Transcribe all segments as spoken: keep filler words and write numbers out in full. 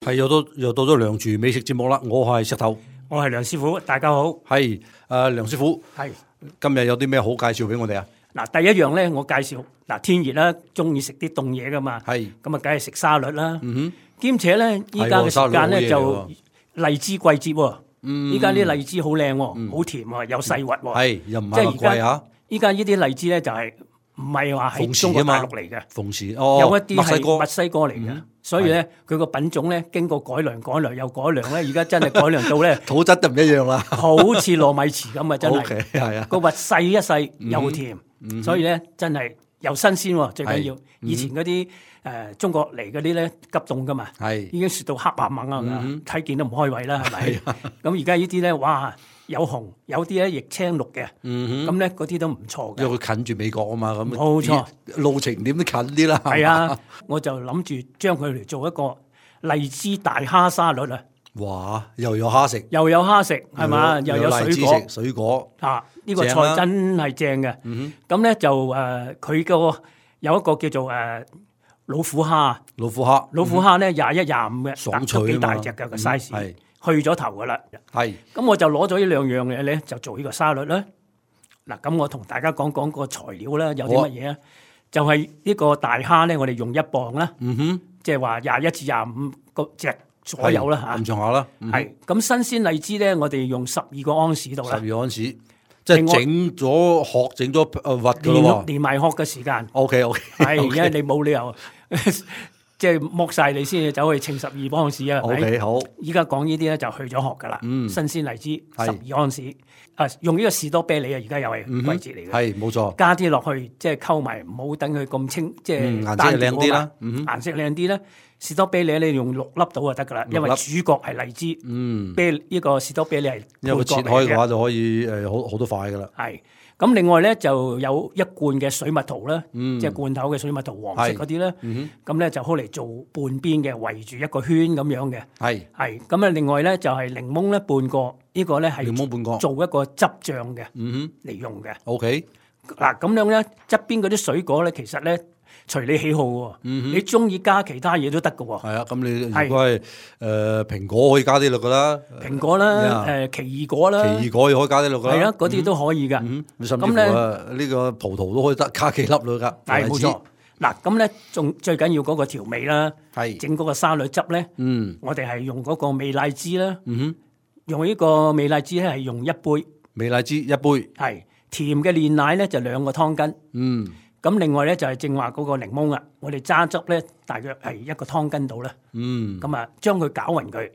係又到又到咗梁廚美食節目啦！我係石頭，我係梁師傅，大家好。係誒，梁師傅，係今日有啲咩好介紹俾我哋啊？嗱，第一樣咧，我介紹嗱，天熱啦，中意食啲凍嘢噶嘛。係咁啊，梗係食沙律啦。嗯哼，兼且咧，依家嘅時間咧就荔枝季節喎。嗯，依家啲荔枝好靚喎，好甜喎，有細核喎。係又唔係咁貴啊？依家呢啲荔枝咧就係唔係話喺中國大陸嚟嘅，鳳時哦，有一啲係墨西哥嚟嘅。嗯，所以咧，佢個品種咧經過改良、改良又改良咧，而家真係改良到咧土質都唔一樣啦，好似糯米糍咁啊！真係， okay，係啊，個核細一細又甜，嗯，所以咧真係又新鮮喎，最緊要。以前嗰啲誒中國嚟嗰啲咧急凍噶嘛，係已經雪到黑白猛啊，睇見都唔開胃啦，係咪？咁而家呢啲咧，哇！有紅，有啲咧亦青綠嘅，咁咧嗰啲都唔錯嘅。因為佢近住美國啊嘛，咁冇錯，路程點都近啲啦。係啊，我就諗住將佢嚟做一個荔枝大蝦沙律啊！哇，又有蝦食，又有蝦食，係嘛？又有水果，水果啊！呢個菜真係正嘅。咁咧就誒，佢個有一個叫做誒老虎蝦，老虎蝦，老虎蝦咧廿一廿五嘅，爽脆啊嘛，幾大隻嘅個 size。去咗頭噶啦，係咁我就攞咗呢兩樣嘢咧，就做呢個沙律啦。嗱，咁我同大家講講個材料啦，有啲乜嘢啊？就係呢個大蝦咧，我哋用一磅啦，嗯哼，即係話廿一至廿五個隻左右啦嚇，咁上下啦。係咁新鮮荔枝咧，我哋用十二個安士度啦，十二安士，即係整咗殼，整咗誒核噶咯喎，連埋殼嘅時間。O K O K，係因為你冇理由。即係剝晒你先至走去稱十二安士啊！ OK 好，依家講呢啲咧就去咗殼噶啦。嗯，新鮮荔枝十二安士，啊用呢個士多啤梨啊，而家又係季節嚟嘅。係冇錯，加啲落去即係溝埋，唔好等佢咁清，即係顏色靚啲啦。嗯，顏色靚啲咧，士多啤梨你用六粒到就得噶啦，因為主角係荔枝。嗯，啤呢個士多啤梨係因為切開嘅話就可以誒好好多塊噶啦。係。咁另外咧就有一罐嘅水蜜桃啦，嗯、即係罐頭嘅水蜜桃黃色嗰啲咧，咁咧、嗯、就好嚟做半邊嘅圍住一個圈咁樣嘅。係係咁啊！另外咧就係檸檬咧半個，呢、呢個咧係檸檬半個做一個汁醬嘅，嗯嚟用嘅。OK， 嗱咁樣咧側邊嗰啲水果咧，其實咧隨你喜好喎，嗯、你中意加其他嘢都得㗎喎。係啊，咁你如果係誒蘋果可以加啲落㗎啦，蘋果啦，誒奇異果啦，奇異果又可以加啲落㗎啦，係啊，嗰啲都可以㗎。嗯、甚至乎啊呢個葡萄都可以得加幾粒落㗎。係冇錯。嗱咁咧，仲最緊要嗰個調味啦，係整嗰個沙律汁咧。嗯，我哋係用嗰個美荔枝啦。嗯哼，用呢個美荔枝咧係用一杯，美荔枝一杯。係甜嘅煉奶咧就兩個湯羹。嗯。咁另外咧就係正話嗰個檸檬啊，我哋揸汁咧大約係一個湯羹度啦。嗯，咁啊將佢攪勻佢，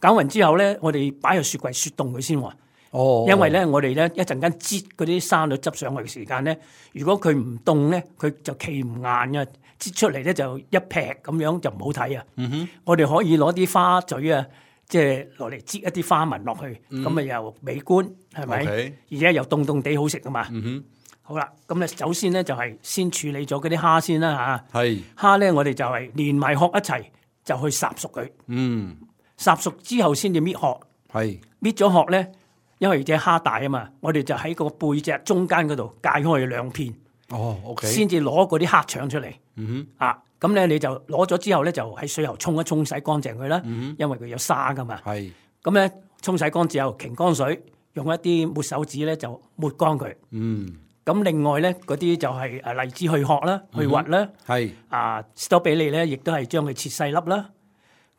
攪勻之後咧，我哋擺入雪櫃雪凍佢先喎。哦，因為咧我哋咧一陣間擠嗰啲沙律汁上去嘅時間咧，如果佢唔凍咧，佢就企唔硬嘅，擠出嚟咧就一劈咁樣就唔好睇啊。嗯哼，我哋可以攞啲花嘴啊，即係落嚟擠一啲花紋落去，咁啊、嗯、又美觀係咪？ Okay. 而且又凍凍地好食噶嘛。嗯哼。好啦，咁咧首先咧就係先處理咗嗰啲蝦先啦嚇。係蝦咧，我哋就係連埋殼一齊就去烚熟佢。嗯，烚熟之後先至搣殼。係搣咗殼咧，因為隻蝦大啊嘛，我哋就喺個背脊中間嗰度解開兩片。哦 ，OK。先至攞嗰啲蝦腸出嚟。嗯哼。啊，咁咧你就攞咗之後咧，就喺水喉沖一沖洗乾淨佢啦。嗯哼。因為佢有沙噶嘛。係。咁咧沖洗乾之後，擎乾水，用一啲抹手紙咧就抹乾佢。嗯。咁另外咧，嗰啲就係誒荔枝去殼啦、去核啦，係啊士多啤梨咧，亦都係將佢切細粒啦。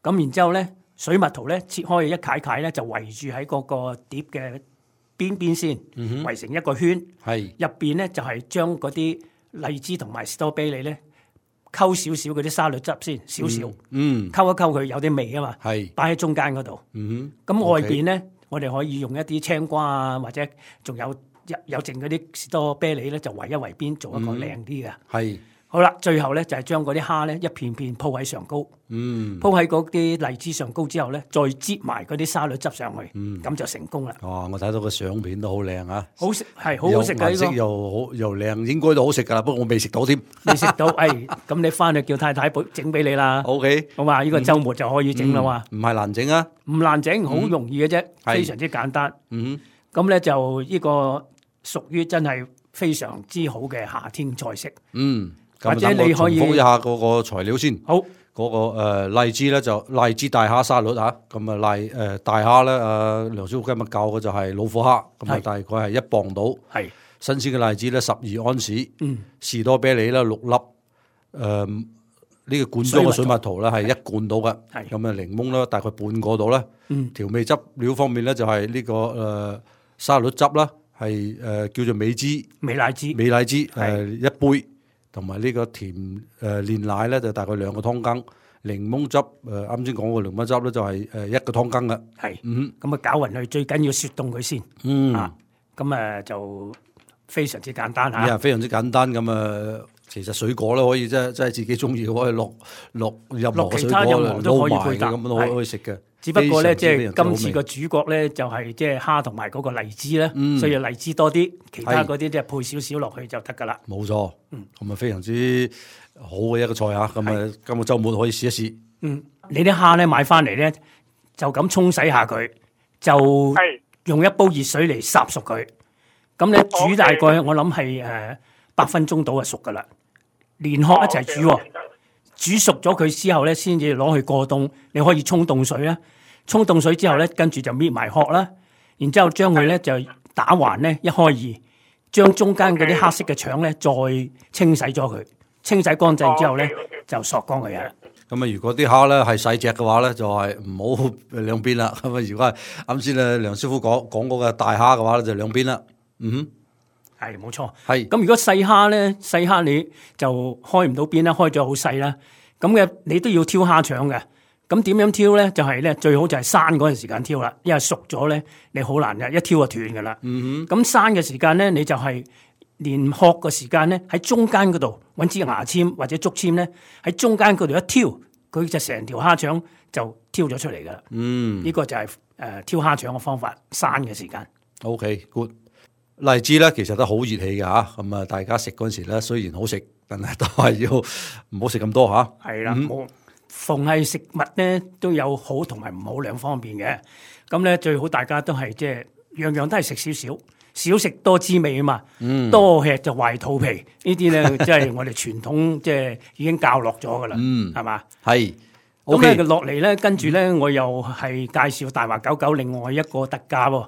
咁然之後咧，水蜜桃咧切開一塊塊咧，就圍住喺嗰個碟嘅邊邊先，嗯、圍成一個圈。係入邊咧就係將嗰啲荔枝同埋士多啤梨咧溝少少嗰啲沙律汁先，少少，嗯，溝一溝佢有啲味啊嘛，係擺喺中間嗰度。嗯哼，咁外邊咧，嗯 okay. 我哋可以用一啲青瓜啊，或者仲有。有剩嗰啲士多啤梨咧，就圍一圍邊做一個靚啲嘅。係、嗯、好啦，最後咧就係將嗰啲蝦咧一片片鋪喺上高。嗯，鋪喺嗰啲荔枝上高之後咧，再擠埋嗰啲沙律汁上去。嗯，咁就成功啦。哇！我睇到個相片都好靚啊，好食係好好食嘅，顏色又好又靚，應該都好食噶啦。不過我未食到添，未食到。誒，咁你翻去叫太太整俾你啦。O K，好嘛？呢個週末就可以整啦嘛。唔係難整啊，唔難整，好容易嘅啫，非常之簡單。嗯，咁咧就呢個。屬於真係非常之好嘅夏天菜式。嗯，或者你可以重複一下嗰個材料先。好，嗰嗰個誒荔枝咧就荔枝大蝦沙律嚇，咁啊荔誒大蝦咧，阿梁師傅今日教嘅就係老虎蝦，咁啊大概係一磅到。係新鮮嘅荔枝咧十二安士，嗯，士多啤梨咧六粒，誒呢個罐裝嘅水蜜桃咧係一罐到嘅，係咁啊檸檬咧大概半個到啦。嗯，調味汁料方面咧就係呢個誒沙律汁啦，係誒叫做美汁美乃滋美乃滋誒一杯。同埋呢個甜誒煉奶咧就大概兩個湯羹，檸檬汁誒啱先講個檸檬汁咧就係誒一個湯羹嘅。係，嗯，咁啊攪勻佢，最緊要雪凍佢先。嗯，啊，咁誒就非常之簡單嚇。係啊，非常之簡單咁啊，其實水果咧可以即係即係自己中意可以落落任何水果撈埋嘅咁都可以可以食嘅。只不過咧，即係今次個主角咧，就係即係蝦同埋嗰個荔枝咧，嗯、所以荔枝多啲，其他嗰啲即係配少少落去就得噶啦。冇錯，嗯，咁啊非常之好嘅一個菜嚇，咁啊今個週末可以試一試。嗯，你啲蝦咧買翻嚟咧，就咁沖洗下佢，就用一煲熱水嚟烚熟佢。咁咧煮大概我諗係誒八分鐘到就熟噶啦，連殼一齊煮喎。煮熟咗佢之後咧，先至攞去過凍。你可以沖凍水啦，沖凍水之後咧，跟住就搣埋殼啦，然之後將佢咧就打橫咧一開二，將中間嗰啲黑色嘅腸咧再清洗咗佢，清洗乾淨之後咧就索乾佢啊。咁啊，如果啲蝦咧係細隻嘅話咧，就係唔好兩邊啦。咁啊，如果係啱先啊梁師傅講講嗰個大蝦嘅話咧，就兩邊啦。嗯哼。係冇錯，係咁。如果細蝦咧，細蝦你就開唔到邊啦，開咗好細啦。咁嘅你都要挑蝦腸嘅。咁點樣挑咧？就係、是、咧最好就係生嗰陣時間挑啦，因為熟咗咧你好難嘅，一挑就斷噶啦。嗯哼。咁生嘅時間咧，你就係連殼嘅時間咧喺中間嗰度揾支牙籤或者竹籤咧喺中間嗰度一挑，佢就成條蝦腸就挑咗出嚟噶啦。嗯，呢個就係、是、誒、呃、挑蝦腸嘅方法，生嘅時間。OK，good。荔枝咧，其實都好熱氣嘅嚇，咁啊，大家食嗰陣時咧，雖然好食，但係都係要唔好食咁多嚇。係啦，冇、嗯、逢係食物咧都有好同埋唔好兩方面嘅，咁咧最好大家都係即係樣樣都係食少少，少食多滋味啊嘛。嗯，多吃就壞肚皮，呢啲咧即係我哋傳統即係已經教落咗噶啦。嗯，係嘛？係。咁咧落嚟咧，跟住咧我又係介紹大華九九另外一個特價喎。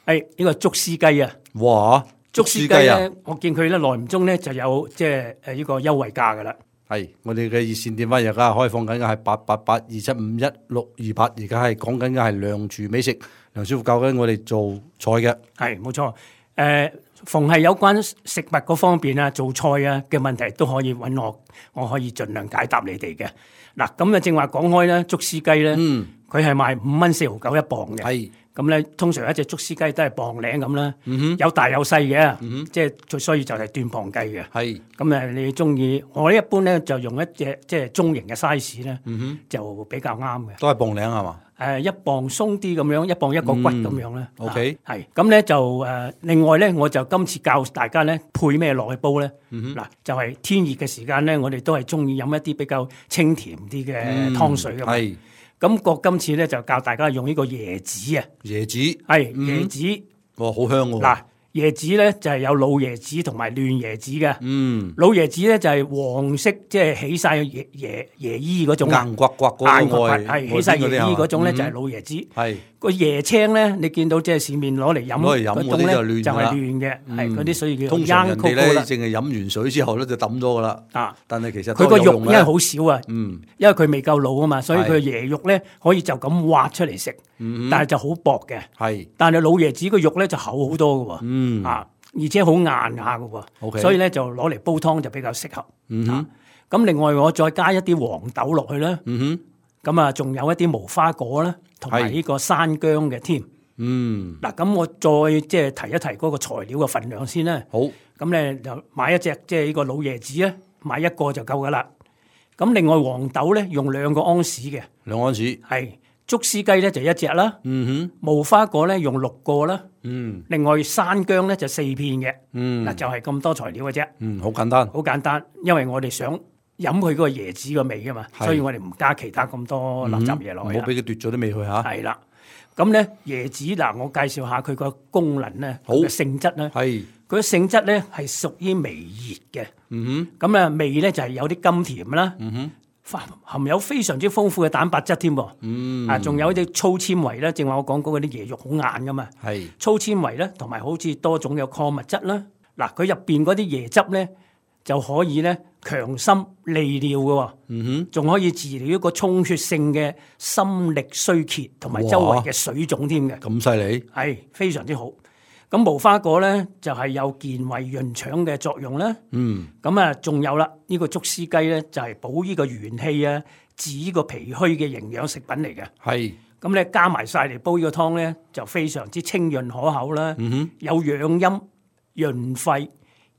係呢個竹絲雞啊！哇，竹絲雞咧，我見佢咧耐唔中咧就有即係誒呢個優惠價噶啦。係我哋嘅熱線電話而家開放緊嘅係八八八二七五一六二八，而家係講緊嘅係梁廚美食，梁師傅教緊我哋做菜嘅。係冇錯，誒、呃，逢係有關食物嗰方面啊，做菜啊嘅問題都可以揾我，我可以盡量解答你哋嘅。嗱，咁啊正話講開咧，竹絲雞咧，嗯，佢係賣五蚊四毫九一磅嘅。係。咁咧，通常一隻竹絲雞都係磅零咁啦，嗯、有大有細嘅，嗯、即係所以就係斷磅計嘅。係咁誒，你中意我一般咧就用一隻即係中型嘅 size 咧、嗯，就比較啱嘅。都係磅零係嘛？誒，一磅鬆啲咁樣，一磅一個骨咁樣咧。O K，係咁咧就誒，另外咧我就今次教大家咧配咩落去煲咧。嗱、嗯，就係、是、天熱嘅時間咧，我哋都係中意飲一啲比較清甜啲嘅湯水㗎嘛。係、嗯。咁個今次咧就教大家用呢個椰子啊，椰子係、嗯、椰子，哇好香喎！嗱，椰子咧就係、是、有老椰子同埋嫩椰子嘅，嗯，老椰子咧就係、是、黃色，即係起晒椰椰椰衣嗰種硬刮刮嗰種外，係起晒椰衣嗰種咧就係老椰子，係、嗯。個椰青咧，你見到即係市面攞嚟飲嗰種咧，就係嫩嘅，係嗰啲所以叫通常人哋咧，淨係飲完水之後咧就抌咗噶啦。啊！但係其實佢個肉因為好少啊，嗯，因為佢未夠老啊嘛，所以佢椰肉咧可以就咁挖出嚟食，嗯，但係就好薄嘅，係。但係老椰子個肉咧就厚好多嘅，嗯，啊，而且好硬下嘅，OK，所以咧就攞嚟煲湯就比較適合。嗯哼，咁另外我再加一啲黃豆落去啦。嗯哼。咁啊，仲有一啲無花果啦，同埋呢個山姜嘅添。嗯，嗱，咁我再即係提一提嗰個材料嘅份量先啦。好，咁咧就買一隻即係呢個老椰子咧，買一個就夠噶啦。咁另外黃豆咧用兩個安士嘅，兩安士係竹絲雞咧就一隻啦。嗯哼，無花果咧用六個啦。嗯，另外山姜咧就四片嘅。嗯，嗱就係咁多材料嘅啫。嗯，好簡單，好簡單，因為我哋想飲佢嗰個椰子個味噶嘛，所以我哋唔加其他咁多垃圾嘢落去，唔好俾佢奪咗啲味去吓。係啦，咁咧椰子嗱，我介紹下佢個功能咧，佢嘅性質咧，係佢嘅性質咧係屬於微熱嘅。嗯哼，咁啊味咧就係有啲甘甜啦。嗯哼，含有非常之豐富嘅蛋白質添喎。嗯，啊，仲有啲粗纖維咧，正話我講嗰啲椰肉好硬噶嘛。係粗纖維咧，同埋好似多種嘅礦物質啦。嗱，佢入邊嗰啲椰汁咧就可以咧強心利尿嘅喎。嗯哼，仲可以治療一個充血性嘅心力衰竭同埋周圍嘅水腫添嘅。咁犀利？係非常之好。咁無花果咧就係、是、有健胃潤腸嘅作用啦。嗯。咁啊，仲有啦，呢、這個竹絲雞咧就係、是、補呢個元氣啊，治呢個脾虛嘅營養食品嚟嘅。係。咁咧加埋晒嚟煲呢個湯咧，就非常之清潤可口啦。嗯哼。有養陰、潤肺、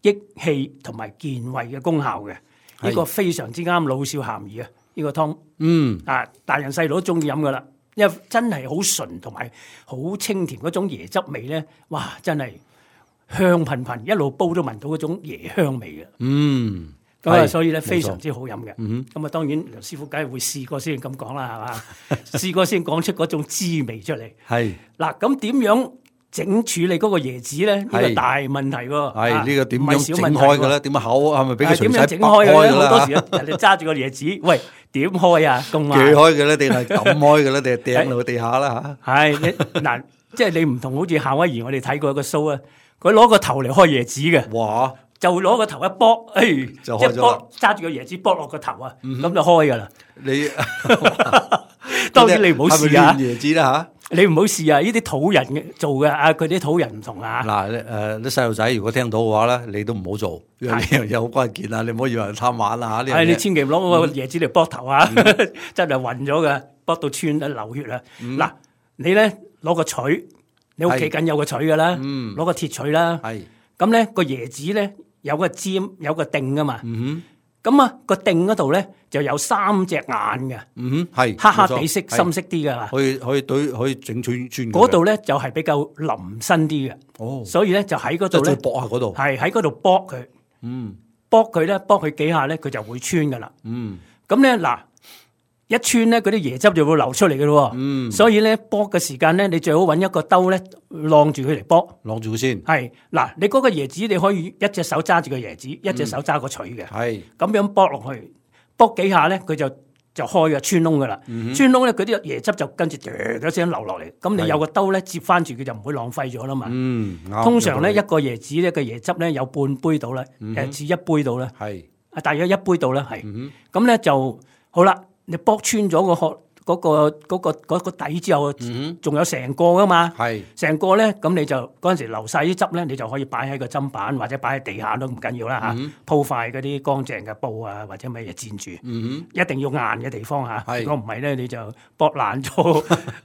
益氣同埋健胃嘅功效嘅。呢、這個非常之啱老少咸宜啊！呢、這個湯。嗯。啊，大人細路都中意飲噶啦。因為真係好純同埋好清甜嗰種椰汁味咧，哇！真係香噴噴，一路煲都聞到嗰種椰香味嘅。嗯，咁啊，所以咧非常之好飲嘅。嗯，咁啊，當然梁師傅梗係會試過先咁講啦，係嘛？試過先講出嗰種滋味出嚟。係嗱，咁點樣整處理嗰個椰子咧？呢個大問題喎。係呢個點樣整開嘅咧？點樣口係咪俾佢隨手剝開嘅咧？好多時人哋揸住個椰子，喂。點開啊？咁啊，鋸開嘅咧，定係抌開嘅咧，定係掟落地下啦嚇？係你嗱，即係你唔同，好似夏威夷我哋睇過一個 show 啊，佢攞個頭嚟開椰子嘅，哇！就攞個頭一剝，誒，就開咗啦，揸住個椰子剝落個頭啊，咁就開噶啦。你當然你唔好試啊，椰子啦嚇。你唔好試啊！呢啲土人嘅做嘅啊，佢啲土人唔同啊。嗱，誒啲細路仔如果聽到嘅話咧，你都唔好做，呢樣嘢好關鍵啊！你唔好以為貪玩啊嚇。係你千祈唔攞個椰子嚟剝頭啊，真係暈咗嘅，剝到穿流血啊！嗱，你咧攞個錘，你屋企緊有個錘㗎啦，攞個鐵錘啦。係咁咧，個椰子咧有個尖，有個頂㗎嘛。嗯哼。咁啊，個頂嗰度咧就有三隻眼嘅，嗯哼，係黑黑地色、深色啲嘅，可以可以對可以整穿穿。嗰度咧就係比較腍身啲嘅，哦，所以咧就喺嗰度咧，搏下嗰度，係喺嗰度搏佢，嗯，搏佢咧，搏佢幾下咧，佢就會穿噶啦，嗯，咁咧嗱。一穿咧，嗰啲椰汁就會流出嚟嘅咯。嗯，所以咧剝嘅時間咧，你最好揾一個兜咧，晾住佢嚟剝，晾住佢先。係嗱，你嗰個椰子你可以一隻手揸住個椰子，一隻手揸個錘嘅。係咁樣剝落去，剝幾下咧，佢就就開嘅穿窿嘅啦。穿窿咧，佢啲椰汁就跟住一聲流落嚟。咁你有個兜咧接翻住，佢就唔會浪費咗啦嘛。嗯，通常咧一個椰子咧個椰汁咧有半杯到啦，誒至一杯到啦。係啊，大約一杯到啦，係。咁咧就好啦。你剝穿咗個殼嗰個嗰個嗰個底之後，仲有成個噶嘛？係成個咧，咁你就嗰陣時流晒啲汁咧，你就可以擺喺個砧板或者擺喺地下都唔緊要啦嚇。鋪塊嗰啲乾淨嘅布啊，或者乜嘢墊住，一定要硬嘅地方嚇。如果唔係咧，你就剝爛咗。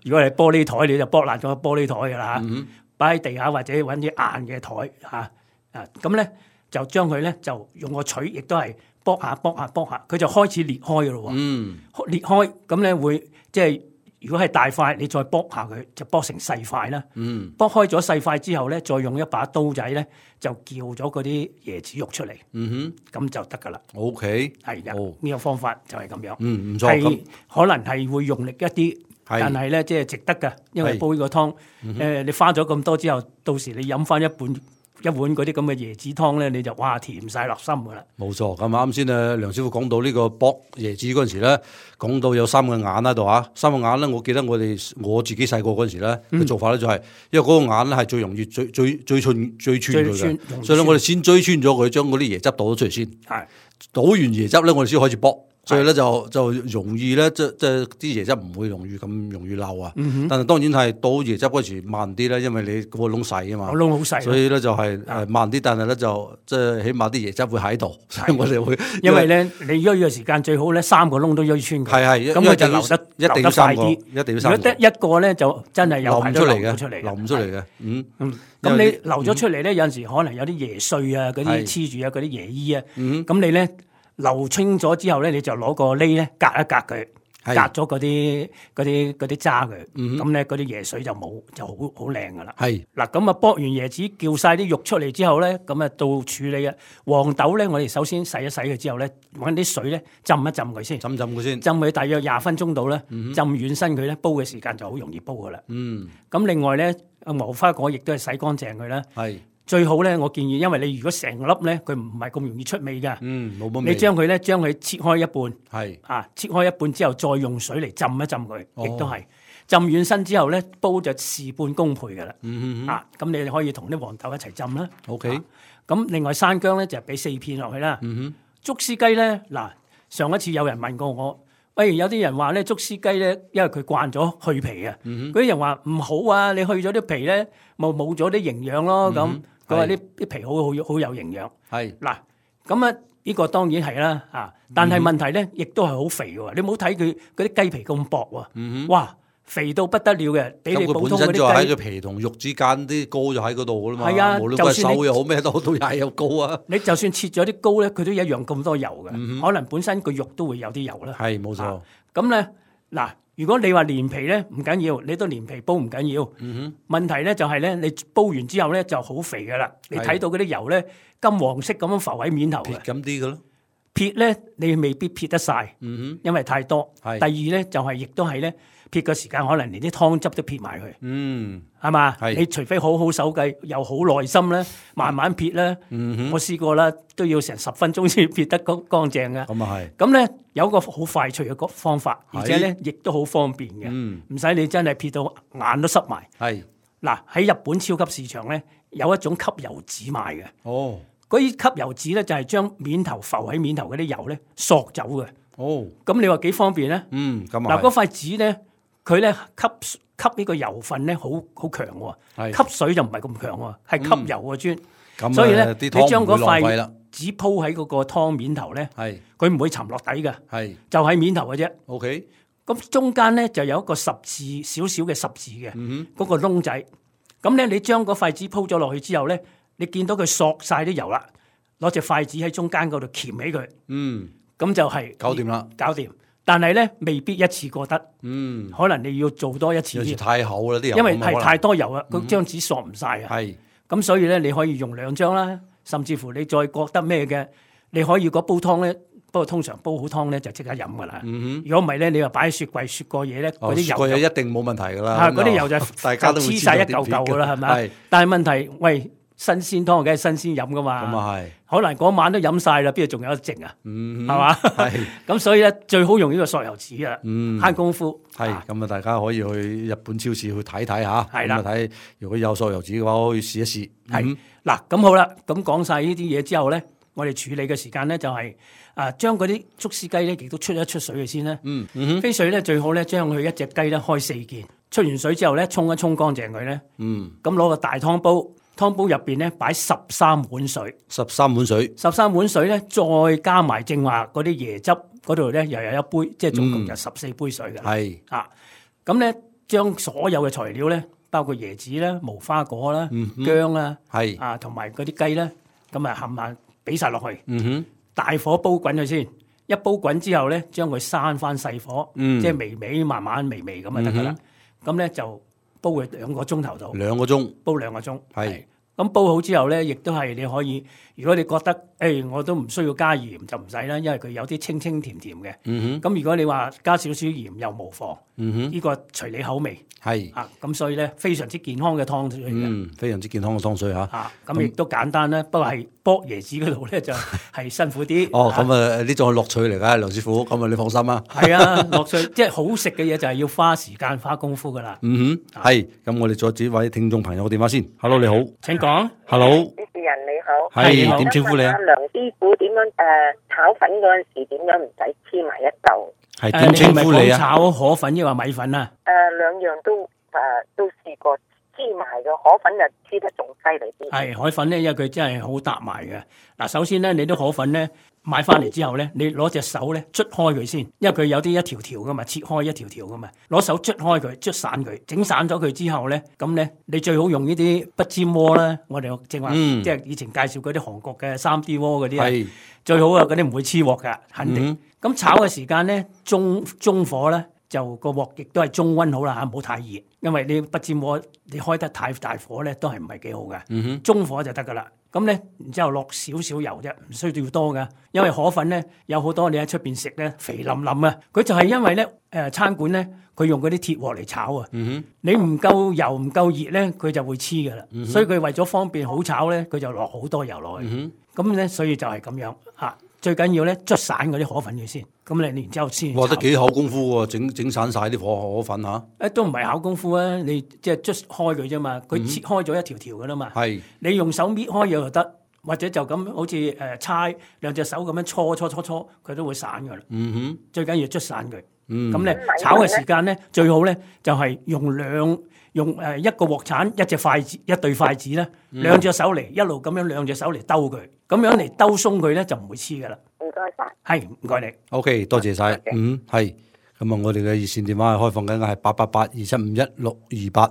如果係玻璃台，你就剝爛咗個玻璃台噶啦嚇。擺喺地下或者揾啲硬嘅台嚇啊，咁咧就將佢咧就用個錘，亦都係。剝下剝下剝下，佢就開始裂開嘅咯喎。嗯，裂開咁咧會即係如果係大塊，你再剝下佢就剝成細塊啦。嗯，剝開咗細塊之後咧，再用一把刀仔咧就撬咗嗰啲椰子肉出嚟。嗯哼，咁就得噶啦。O K， 係嘅，呢、哦、個方法就係咁樣。嗯，唔錯。係可能係會用力一啲，但係咧即係值得㗎，因為煲呢個湯，誒、嗯呃、你花咗咁多之後，到時你飲翻一半。一碗嗰啲咁嘅椰子湯咧，你就哇甜晒落心噶啦！冇錯，咁啱先啊，梁師傅講到呢個剝椰子嗰陣時咧，講到有三個眼喺度啊，三個眼咧，我記得我哋我自己細個嗰陣時咧嘅、嗯、做法咧就係、是，因為嗰個眼咧係最容易最最最穿最穿佢嘅，所以咧我哋先追穿咗佢，將嗰啲椰汁倒咗出嚟先，係倒完椰汁咧，我哋先開始剝。所以咧就就容易咧，即即啲椰汁唔會容易咁容易漏啊。嗯、但係當然係倒椰汁嗰時慢啲啦，因為你個窿細啊嘛。個窿好細。所以咧就係誒慢啲，但係咧就即係起碼啲椰汁會喺度。所以我哋會因為咧你醃嘅時間最好咧三個窿都醃穿佢。係係，咁佢就流得一定要三個，一定要三個。如果得一個咧就真係有排都流唔出嚟嘅，流唔出嚟嘅。嗯嗯。咁你流咗出嚟咧，有陣時可能有啲椰碎啊，嗰啲黐住啊，嗰啲椰衣啊。嗯。咁你咧？流清咗之後咧，你就攞個鐳咧隔一隔佢，隔咗嗰啲嗰啲嗰啲渣佢，咁咧嗰啲椰水就冇，就好好靚噶啦。係嗱，咁啊剝完椰子，叫晒啲肉出嚟之後咧，咁啊到處理啊黃豆咧，我哋首先洗一洗佢之後咧，揾啲水咧浸一浸佢先，浸浸佢先，浸佢大約廿分鐘到啦，浸軟身佢咧，煲嘅時間就好容易煲噶啦。嗯，咁另外咧，無花果亦都係洗乾淨佢啦。係。最好咧，我建議，因為你如果成粒咧，佢唔係咁容易出味㗎。嗯，冇乜味。你將佢咧，將佢切開一半，係啊，切開一半之後，再用水嚟浸一浸佢，亦都係浸軟身之後咧，煲就事半功倍㗎啦。嗯嗯啊，咁你哋可以同啲黃豆一齊浸啦。OK。咁、啊、另外山姜咧就俾四片落去啦。嗯哼。竹絲雞咧，嗱，上一次有人問過我。喂，有啲人話咧，竹絲雞咧，因為佢慣咗去皮啊，嗰、嗯、啲人話唔好啊，你去咗啲皮咧，咪冇咗啲營養咯。咁佢話啲啲皮好好好有營養。係嗱，咁啊呢個當然係啦啊，但係問題咧，亦都係好肥嘅。你唔好睇佢嗰啲雞皮咁薄喎、嗯，哇！肥到不得了嘅，比你普通嗰啲雞。咁佢本身就喺佢皮同肉之間啲膏就喺嗰度噶啦嘛。係啊，無論佢瘦又好咩都好，都係有膏啊。你就算切咗啲膏咧，佢都一樣咁多油嘅、嗯。可能本身個肉都會有啲油啦。係冇錯。咁咧嗱，如果你話連皮咧唔緊要，你都連皮煲唔緊要。嗯哼。問題咧就係咧，你煲完之後咧就好肥噶啦。你睇到嗰啲油咧金黃色咁樣浮喺面頭嘅。撇咁啲嘅咯。撇咧你未必撇得晒。嗯哼。因為太多。係。第二咧就係亦都係咧。撇嘅時間可能連啲湯汁都撇埋佢，嗯，係嘛？你除非好好手計，又好耐心咧，慢慢撇咧。嗯、我試過啦，都要成十分鐘先撇得乾乾淨嘅。咁啊係。咁咧有個好快脆嘅方法，而且咧亦都好方便嘅，唔、嗯、使你真係撇到眼都濕埋。係嗱，喺日本超級市場咧有一種吸油紙賣嘅。哦，嗰啲吸油紙咧就係將面頭浮喺面頭嗰啲油咧索走嘅。哦，咁你話幾方便咧？嗯，咁啊。嗱，嗰塊紙咧。佢咧吸吸呢個油分咧，好好強喎。吸水就唔係咁強喎，係吸油嘅專、嗯。所以咧，你將嗰塊紙鋪喺嗰個湯面頭咧，佢唔會沉落底嘅，就喺面頭嘅啫。OK。咁中間咧就有一個十字少少嘅十字嘅，嗰、嗯嗰個窿仔。咁咧，你將嗰塊紙鋪咗落去之後咧，你見到佢索晒啲油啦，攞隻筷子喺中間嗰度鉗起佢。嗯。咁就係搞掂啦，搞掂。但係咧，未必一次過得，嗯，可能你要做多一次。有時太厚啦啲油，因為係太多油啊，嗰張紙索唔晒啊。係，咁所以咧，你可以用兩張啦，甚至乎你再覺得咩嘅，你可以嗰煲湯咧，不過通常煲好湯咧就即刻飲噶啦。嗯哼，如果唔係咧，你話擺喺雪櫃雪過嘢咧，嗰啲油，雪過嘢一定冇問題噶啦。嚇，嗰啲油就大家都黐晒一嚿嚿噶啦，係咪？但係問題，喂。新鮮湯梗係新鮮飲噶嘛，咁啊係，可能嗰晚都飲晒啦，邊度仲有得剩啊？嗯，係嘛？係，咁所以咧最好用呢個索油紙啊，嗯，慳功夫。係，咁啊大家可以去日本超市去睇睇吓，係啦，睇如果有索油紙嘅話，可以試一試。係，嗱，咁好啦，咁講晒呢啲嘢之後咧，我哋處理嘅時間咧就係啊，將嗰啲竹絲雞咧亦都出一出水嘅先啦。嗯嗯，飛水咧最好咧將佢一隻雞咧開四件，出完水之後咧沖一沖乾淨佢咧。嗯，咁攞個大湯煲。湯煲入邊咧擺十三碗水，十三碗水，十三碗水咧再加埋正話嗰啲椰汁嗰度咧又有一杯，即係總共就十四杯水嘅。係、嗯、啊，咁咧將所有嘅材料咧，包括椰子啦、無花果啦、嗯、薑啦，係啊，同埋嗰啲雞咧，咁啊冚唪唥俾晒落去。嗯哼，大火煲滾佢先，一煲滾之後咧，將佢閂翻細火，嗯、即係微微慢慢微微咁就得噶啦。咁、嗯、咧就。煲佢兩個鐘頭度，兩個鐘煲兩個鐘，係咁煲好之後咧，亦都係你可以。如果你覺得誒、哎，我都唔需要加鹽就唔使啦，因為佢有啲清清甜甜嘅。咁、嗯、如果你話加少少鹽又無妨，呢、嗯呢個隨你口味。係啊，咁所以咧非常之健康嘅湯水。嗯，非常之健康嘅湯水嚇。啊，咁亦都簡單啦，不過係剝椰子嗰度咧就係辛苦啲。哦，咁啊呢種係樂趣嚟㗎，梁師傅，咁啊你放心啊。係啊，樂趣即係好食嘅嘢就係要花時間花功夫㗎啦。嗯哼，係。咁我哋再接位聽眾朋友嘅電話先。Hello， 你好。請講。Hello。主持人你好。係點稱呼你啊？梁師傅點樣誒炒粉嗰陣時點樣唔使黐埋一嚿？係點稱呼你啊？炒河粉抑或米粉啊？誒兩樣都誒都試過黐埋嘅，河粉就黐得仲犀利啲。係海粉咧，因為佢真係好搭埋嘅。嗱，首先咧，你啲河粉咧買翻嚟之後咧，你攞隻手咧捽開佢先，因為佢有啲一條條噶嘛，切開一條條噶嘛，攞手捽開佢，捽散佢，整散咗佢之後咧，咁咧你最好用呢啲不粘鍋啦。我哋正話、嗯、即係以前介紹嗰啲韓國嘅三 D 鍋嗰啲啊，最好啊，嗰啲唔會黐鑊噶，肯定。咁、嗯、炒嘅時間咧，中中火咧。就個鑊亦都係中溫好啦嚇，唔好太熱，因為你不煎鍋你開得太大火咧，都係唔係幾好嘅。嗯哼，中火就得噶啦。咁咧，然之後落少少油啫，唔需要多噶。因為河粉咧有好多你喺出邊食咧肥淋淋啊，佢就係因為咧誒、呃、餐館咧佢用嗰啲鐵鑊嚟炒啊。嗯哼，你唔夠油唔夠熱咧，佢就會黐噶啦。嗯、所以佢為咗方便好炒咧，佢就落好多油落去。嗯哼，咁咧所以就係咁樣嚇。最緊要咧捽散嗰啲河粉嘅先，咁你然之後先。哇！得幾口功夫喎，整整散晒啲河河粉嚇。誒、啊、都唔係考功夫啊，你即係捽開佢啫嘛，佢切開咗一條條噶啦嘛。係、嗯。你用手搣開又得，或者就咁好似誒搓兩隻手咁樣搓搓搓搓，佢都會散噶啦。嗯哼。最緊要捽散佢。嗯。咁咧炒嘅時間咧，最好咧就係、是、用兩用誒一個鑊鏟，一隻筷子，一對筷子咧，兩隻手嚟一路咁樣兩隻手嚟兜佢，咁樣嚟兜鬆佢咧就唔會黐噶啦。唔該晒，係唔該你。O、okay, K， 多謝晒。嗯，係。咁啊，我哋嘅熱線電話係開放緊嘅，係八八八二七五一六二八。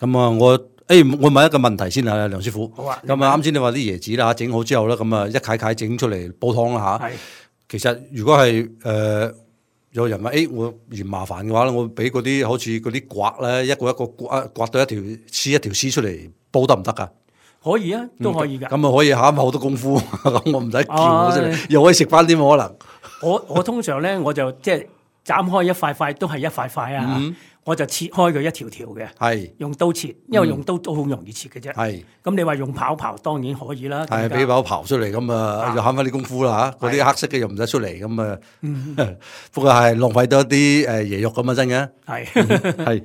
咁啊，我誒、欸，我問一個問題先啊，梁師傅。好啊。咁啊，啱先你話啲椰子啦，整好之後咧，咁啊一塊塊整出嚟煲湯啦吓。係。其實如果係誒、呃、有人話誒、欸，我嫌麻煩嘅話咧，我俾嗰啲好似嗰啲刮咧，一個一個刮刮到一條絲一條絲出嚟煲得唔得噶？可以啊，都可以噶。咁、嗯、啊可以慳好多功夫，咁我唔使撬出嚟，啊、又可以食翻啲可能。我我通常咧，我就即係斬開一塊塊，都係一塊塊啊。嗯、我就切開佢一條條嘅，係用刀切，因為用刀都好容易切嘅啫。係咁，你話用刨刨當然可以啦。係俾刨刨出嚟，咁啊就慳翻啲功夫啦嚇。嗰啲黑色嘅又唔使出嚟，咁啊。不過係浪費多啲誒椰肉咁啊，真嘅。係係。